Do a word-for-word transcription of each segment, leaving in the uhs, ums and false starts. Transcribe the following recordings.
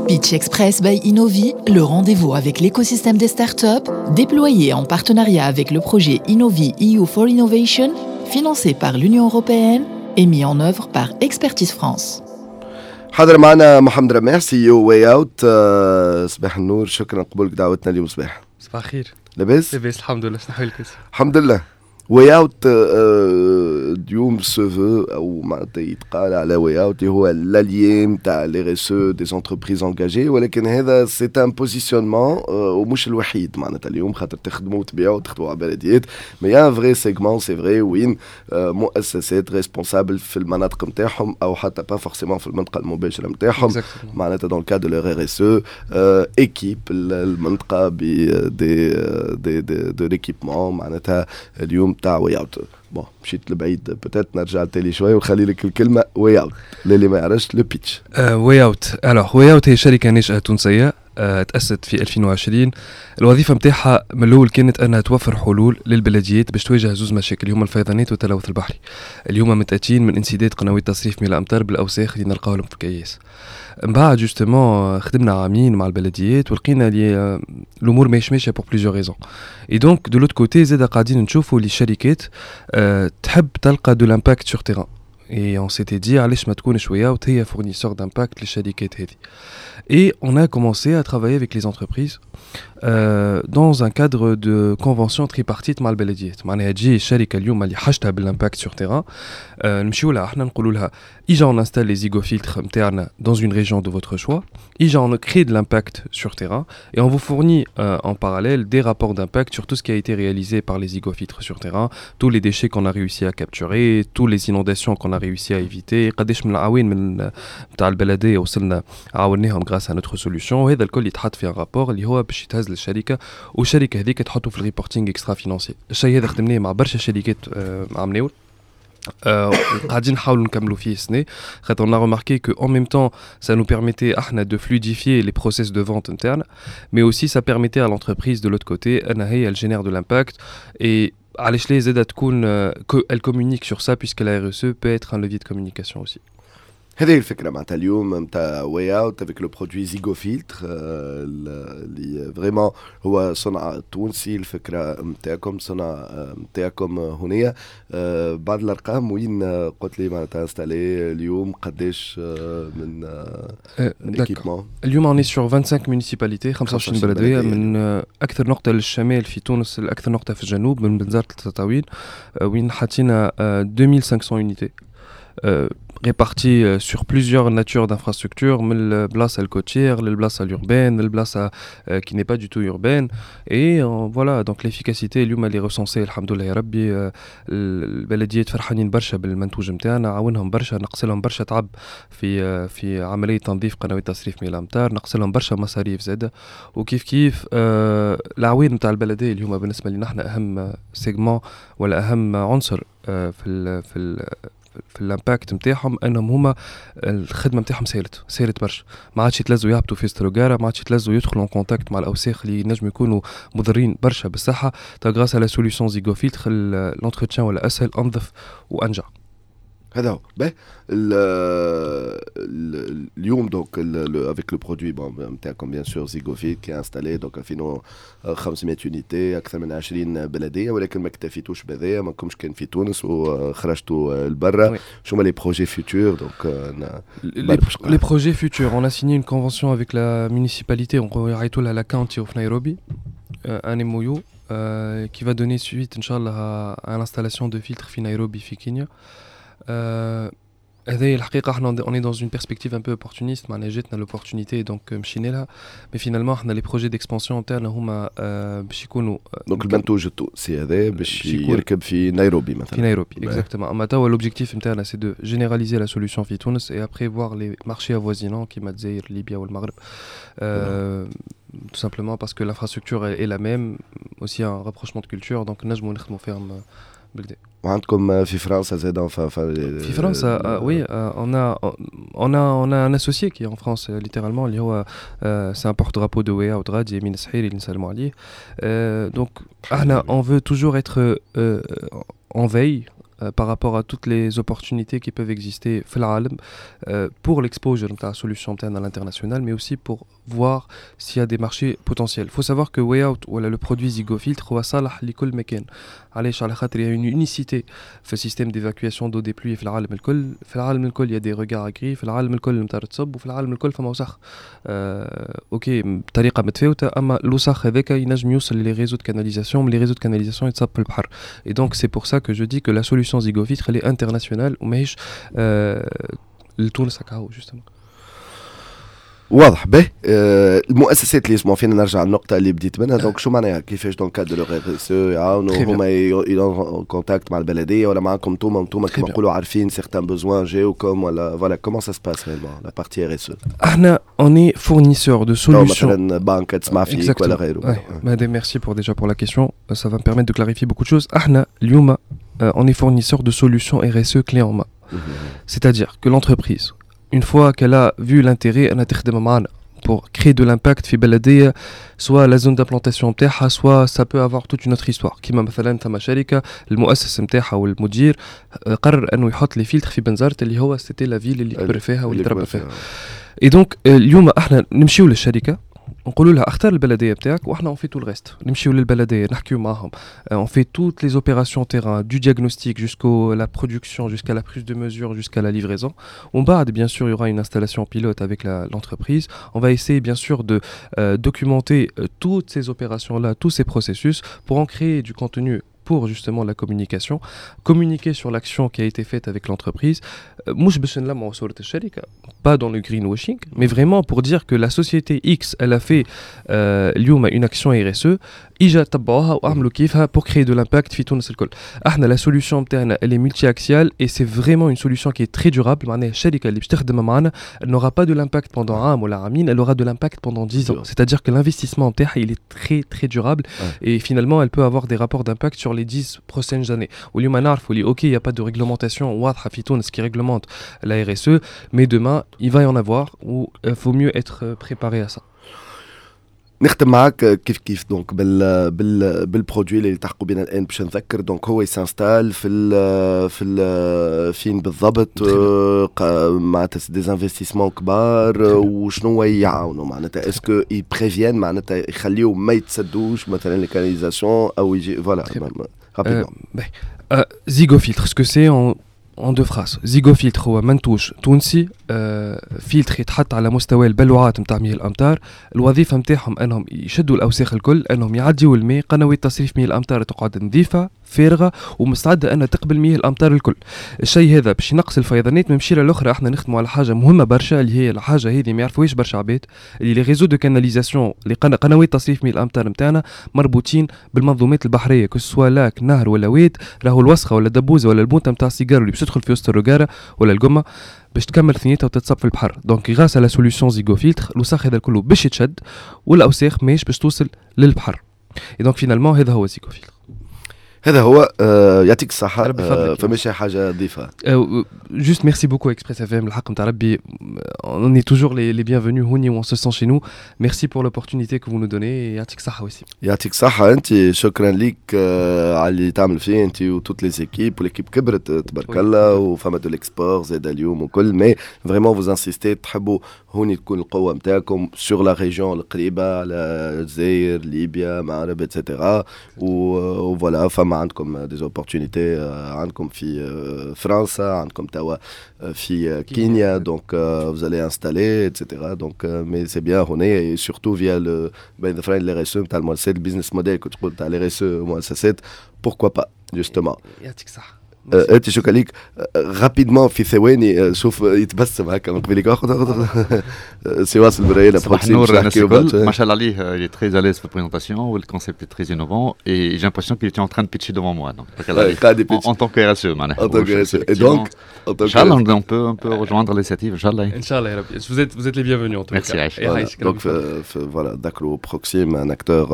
Pitch Express by Innovi, le rendez-vous avec l'écosystème des startups, déployé en partenariat avec le projet Innovi E U for Innovation, financé par l'Union européenne et mis en œuvre par Expertise France. حاضر معنا محمد رماح، C E O Way Out. صباح النور، شكرا قبولك دعوتنا اليوم صباح. صباح الخير. لاباس؟ لاباس الحمد لله، شنو حوالك؟ الحمد لله. Way Out اليوم se veut او معناتها يتقال على Way Out هو l'allié نتاع l'R S E des entreprises engagées، ولكن هذا c'est un positionnement ومش الوحيد. معناتها اليوم خاطر تخدموا وتبيعوا وتخدموا على بلديات، mais un vrai segment, c'est vrai، وين مؤسسات responsables في المناطق نتاعهم او حتى pas forcément في المنطقة المباشرة نتاعهم، معناتها dans le cadre de leur R S E équipent المنطقة ب des des des de l'équipement معناتها اليوم تاع Way Out. Bon، مشيت لبعيد، peut-être نرجع تالي شوي ونخلي لك الكلمه. Way Out للي ما يعرفش، le pitch. Way Out, alors Way Out هي شركة ناشئة تونسيه آه، تأسست في ألفين وعشرين. الوظيفة نتاعها من الأول كانت أنها توفر حلول للبلديات باش تواجه زوز مشاكل اللي هما الفيضانات والتلوث البحري، اللي هما متأتين من انسداد قنوات تصريف مياه الأمطار بالأوساخ اللي نلقاوهم في الكياس. من بعد justement خدمنا عامين مع البلديات ولقينا اللي آه، الامور ماهيش ماشية pour plusieurs raisons، et donc de l'autre côté زاد قاعدين نشوفوا اللي الشركات أه تحب تلقى de l'impact sur terrain، et on s'était dit علاش ما تكونش Way Out هي fournisseur d'impact للشركات هذه. Et on a commencé à travailler avec les entreprises euh, dans un cadre de convention tripartite مع البلديات. معناها تجي الشركة اليوم اللي حاجتها بال impact sur terrain، نمشيو لها احنا نقولوا لها اجا on installe les Zygofiltres نتاعنا dans une région de votre choix، اجا on crée de l'impact sur terrain et on vous fournit euh, en parallèle des rapports d'impact sur tout ce qui a été réalisé par les Zygofiltres sur terrain, tous les déchets qu'on a réussi à capturer, tous les inondations qu'on a réussi à éviter، قداش من العوين من نتاع البلدية وصلنا عاوناهم grâce à notre solution. وهذا الكل يتحط في un rapport اللي هو باش يتهز للشركه، والشركة هذيك تحطه في ال reporting extra-financier. الشيء هذا خدمناه مع برشا شركات عام قاعدين نحاولوا نكملوا فيه السنه، خاطر on a remarqué que en même temps ça nous permettait احنا de fluidifier les process de vente internes، mais aussi ça permettait à l'entreprise de l'autre côté انها هي elle génère de l'impact، et علاش لا زادة تكون elle communique sur ça، puisque la R S E peut être un levier de communication aussi. هذه الفكرة معناتها اليوم نتاع Way Out avec le produit Zygofiltre اللي vraiment هو صنع تونسي، الفكرة نتاعكم، صنع نتاعكم هنيه. بعض الارقام، وين قلت لي معناتها installé اليوم قداش من équipement؟ اليوم on est sur vingt-cinq municipalités، خمسة وعشرين بلديه، من اكثر نقطة للشمال في تونس لاكثر نقطة في الجنوب، من بنزرت لتطاوين، وين حطينا ألفين وخمسمية unités répartis euh, sur plusieurs natures d'infrastructures، من البلاصة ال côtière للبلاصه l'urbaine، البلاصة qui n'est pas du tout urbaine، et euh, voilà، donc l'efficacité اليوم elle est recensée، الحمد لله يا ربي. البلديات فرحانين برشا بالمنتوج نتاعنا، عاونهم برشا، نقص لهم برشا تعب في في عملية تنظيف قنوات تصريف مياه الامطار، نقص لهم برشا مصاريف زاده. وكيف كيف العوين نتاع البلدية اللي هما بالنسبة لنا احنا اهم segment ولا اهم عنصر في ال في ال في ال impact نتاعهم، انهم هما الخدمة نتاعهم سهلت، سهلت برشا، ما عادش يتلزوا يهبطوا في ستروغارا، ما عادش يتلزوا يدخلوا en contact مع الاوساخ اللي ينجموا يكونوا مضرين برشا بالصحه. grâce à la solution Zygofiltre، l'entretien ولا اسهل، انظف وانجع. هذا هو. باهي، اليوم donc avec le produit bon نتاعكم bien sûr Zygofiltre qui est installé donc ألفين وخمسمية unités، اكثر من عشرين بلديه، ولكن ما اكتفيتوش بهذايا، ما كمش كان في تونس وخرجتوا لبرا. شو هما les projets futurs donc؟ Les projets futurs, on a signé une convention avec la municipalité, on يعيطوا la County of Nairobi, un M O U euh, qui va donner suite, إن شاء الله، à l'installation de filtres في نيروبي في كينيا. هذه الحقيقة احنا on est dans une perspective un peu opportuniste، معناها جاتنا l'opportunité donc مشينا لها، mais finalement احنا les projets d'expansion نتاعنا هما باش يكونوا donc المنتوج التونسي هذا باش يركب في نيروبي مثلا؟ في نيروبي exactement. اما توا l'objectif نتاعنا c'est de généraliser la solution في تونس et après voir les marchés avoisinants كيما الجزائر، ليبيا والمغرب، tout simplement parce que l'infrastructure est la même، aussi un rapprochement de culture، donc نجموا نخدموا فيهم بالكدا. وعندكم في فرنسا زاد؟ في فرنسا oui، on a on a on a un associé qui est en France littéralement، اللي هو c'est un porte-drapeau de Way Out غادي، يمين السحيري اللي نسلموا عليه. donc احنا on veut toujours être en veille. par rapport à toutes les opportunités qui peuvent exister في العالم pour l'exposure نتاع solution نتاعنا à l'international, mais aussi pour voir s'il y a des marchés potentiels. Il faut savoir que Way Out ولا le produit Zigofiltre هو صالح لكل مكان. علاش؟ على خاطر il y a une unicité في système d'évacuation d'eau des pluies في العالم الكل. في العالم الكل il y a des regards gris, في العالم الكل المطر تصب, وفي العالم الكل فما وسخ. آه، OK, بطريقة متفاوته, اما الوسخ هذاك ينجم يوصل les réseaux de canalisation, les réseaux de canalisation يتصب في البحر. Et donc c'est pour ça que je dis que la solution Zigofiltre, elle est internationale وماهيش آه لتونس هكا justement. واضح به. آه المؤسسات اللي يسمعوا فينا, نرجع للنقطة اللي بديت منها, donc شو معناها؟ كيفاش dans le cadre de R S E يعاونوا هما contact مع البلدية ولا معاكم انتوما؟ انتوما كيما نقولوا عارفين certains besoins جاوكم ولا voilà, comment ça se passe réellement, la partie R S E? احنا on est fournisseur de solutions. مثلا بنك تسمع فيك ولا غيره. Merci pour déjà pour la question, ça va me permettre de clarifier beaucoup de choses. احنا اليوم on est fournisseur de solutions R S E clé en main. C'est-à-dire que l'entreprise, une fois qu'elle a vu l'intérêt أنها تخدم معنا pour créer de l'impact في بلدية, soit la zone d'implantation نتاعها, soit ça peut avoir toute une autre histoire, كيما مثلا ثم شركة المؤسس نتاعها والمدير قرر انه يحط les filtres في بنزرت, اللي هو c'était la ville اللي كبر فيها واللي تربى فيها. Et donc اليوم احنا نمشيو للشركه, نقولوا لها اختار البلدية بتاعك واحنا on fait tout le reste. نمشيو للبلديه, نحكيو معاهم, on fait toutes les opérations terrain, du diagnostic jusqu'à la production, jusqu'à la prise de mesure, jusqu'à la livraison. ومن بعد, bien sûr, il y aura une installation pilote avec l'entreprise. On va essayer bien sûr de euh, documenter euh, toutes ces opérations là, tous ces processus, pour en créer du contenu pour justement la communication, communiquer sur l'action qui a été faite avec l'entreprise. مش باش نلمعوا صورة الشركة, pas dans le greenwashing, mais vraiment pour dire que la société X, elle a fait euh, اليوم une action R S E, اجا تبعوها واعملوا كيفها pour créer de l'impact في تونس الكل. احنا la solution نتاعنا, elle est multi-axiale et c'est vraiment une solution qui est très durable. معناها الشركة اللي باش تخدم معنا, elle n'aura pas de l'impact pendant عام ولا عامين, elle aura de l'impact pendant dix ans. C'est-à-dire que l'investissement نتاعها, il est très très durable et finalement elle peut avoir des rapports d'impact sur les dix prochaines années. واليوم نعرفوا اللي OK, il y a pas de réglementation واضحة في تونس qui réglemente la R S E, mais demain il va y en avoir و il faut mieux être préparé à ça. نختم معاك كيف كيف donc بال بال بال produit اللي التحقوا بنا الان, باش نذكر, donc هو s'installe في ال في ال فين بالضبط؟ معناتها des investissements كبار, وشنو يعاونوا؟ معناتها est-ce que ils préviennent, معناتها يخليو ما يتسدوش مثلا les canalisations او يجي voilà? Zigofiltre, ce que c'est en en deux phrases. Zigofiltre هو منتوج تونسي, آه فيلتر يتحط على مستوى البلوعات نتاع مياه الامطار. الوظيفة نتاعهم انهم يشدوا الاوساخ الكل, انهم يعديوا الماء, قنوات تصريف مياه الامطار تقعد نظيفة فارغة ومستعده انها تقبل مياه الامطار الكل. الشيء هذا باش ينقص الفيضانات. من مشيره الاخرى, احنا نخدموا على حاجة مهمة برشا, اللي هي الحاجة هذه ما يعرفوهاش برشا عباد, اللي les réseaux de canalisation, اللي قنوات تصريف مياه الامطار نتاعنا, مربوطين بالمنظومات البحريه, que ce soit lac, نهر ولا واد. راهو الوسخة ولا الدبوزه ولا البونته نتاع السيجار اللي باش تدخل في وسط الرقاره ولا القمه باش تكمل ثنيتها وتتصب في البحر. Donc grâce à la solution Zigofiltre, الوسخ هذا الكل باش يتشد والاوساخ ماهيش باش توصل للبحر. Et donc finalement هذا هو Zigofiltre. هذا هو. آه يعطيك الصحة. آه فماش حاجة تضيفها؟ Juste merci beaucoup Express F M. الحق نتاع ربي, on est toujours les, les bienvenus هوني où on se sent chez nous. Merci pour l'opportunité que vous nous donnez et يعطيك الصحة aussi. يعطيك الصحة أنت, شكرا ليك آه على اللي تعمل فيه أنت و toutes les équipes, و l'équipe كبرت تبارك الله, وفما de l'export زاد اليوم وكل, mais vraiment vous insistez, تحبوا هوني تكون القوة نتاعكم sur la région القريبة على الجزائر, ليبيا, المغرب, et cetera. و voilà, فما عندكم des opportunités, عندكم في فرنسا, عندكم توا في كينيا, donc vous allez installer, et cetera. Donc mais c'est bien هنا et surtout via le بين ظفرين les R S E نتاع المؤسسات, ال business model كنت تقول تاع les R S E المؤسسات, pourquoi pas justement. يعطيك الصحة. انت شكرا ليك. Rapidement, في ثواني, شوف يتبسم هكا من قبيلك, سي واصل براينا. صباح النور الناس الكل. ما شاء الله عليه, il est très à l'aise في ال présentation وال concept est très innovant et j'ai l'impression qu'il était en train de pitcher devant moi, donc en, en tant que R S E معناها. En tant que R S E et donc ان شاء الله on peut on peut rejoindre l'initiative ان شاء الله. ان شاء الله يا ربي, vous êtes vous êtes les bienvenus en tout cas. Merci. Donc voilà, ذكروا Proxim, un acteur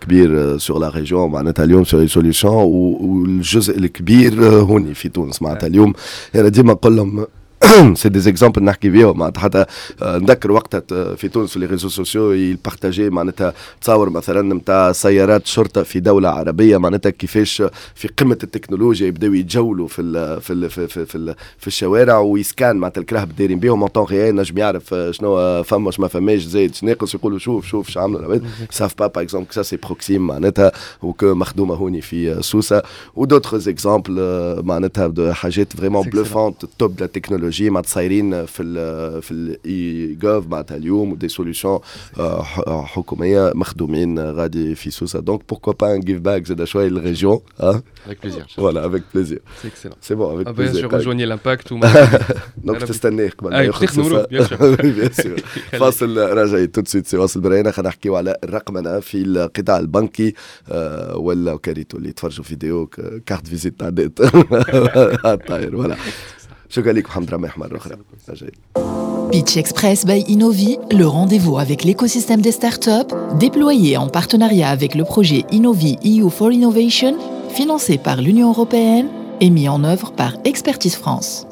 كبير sur la région, معناتها اليوم sur les solutions, والجزء الكبير هوني في تونس. معناتها اليوم انا ديما نقول لهم c'est des exemples نحكي بيهم. معناتها حتى نذكر وقتها في تونس في les réseaux sociaux ils partageaient معناتها تصور مثلا نتاع سيارات شرطه في دولة عربيه، معناتها كيفاش في قمة التكنولوجيا يبداو يتجولوا في ال في ال في في, في, في الشوارع وي scanne معناتها الكراهب دايرين بيهم en temps réel، نجم يعرف شنو فما، ما فماش، زايد ناقص، يقولوا شوف شوف شو عملوا العباد، savent pas par exemple ça c'est Proxim معناتها و que مخدومة هوني في سوسه، و d'autres exemples معناتها حاجات vraiment bluffantes، top de la technologie معناتها صايرين في ال في ال e-gov معناتها اليوم، و des solutions حكومية مخدومين غادي في سوسه. donc pourquoi pas un give back زاد شوية لل région؟ avec plaisir. voilà، avec plaisir. c'est excellent. c'est bon، avec plaisir. rejoignez l'impact. donc تستناه قبل ما يخرج. bien sûr. فاصل راجعين tout de suite. سي واصل براينا، خلينا نحكيو على الرقمنه في القطاع البنكي آه، ولا كاريتو اللي يتفرجوا vidéo carte visite تعديت الطاير. voilà، شكرا لك محمد رماح مرة اخرى. راجعين. Pitch Express by Innovi, le rendez-vous avec l'écosystème des startups, déployé en partenariat avec le projet Innovi E U for Innovation, financé par l'Union européenne et mis en œuvre par Expertise France.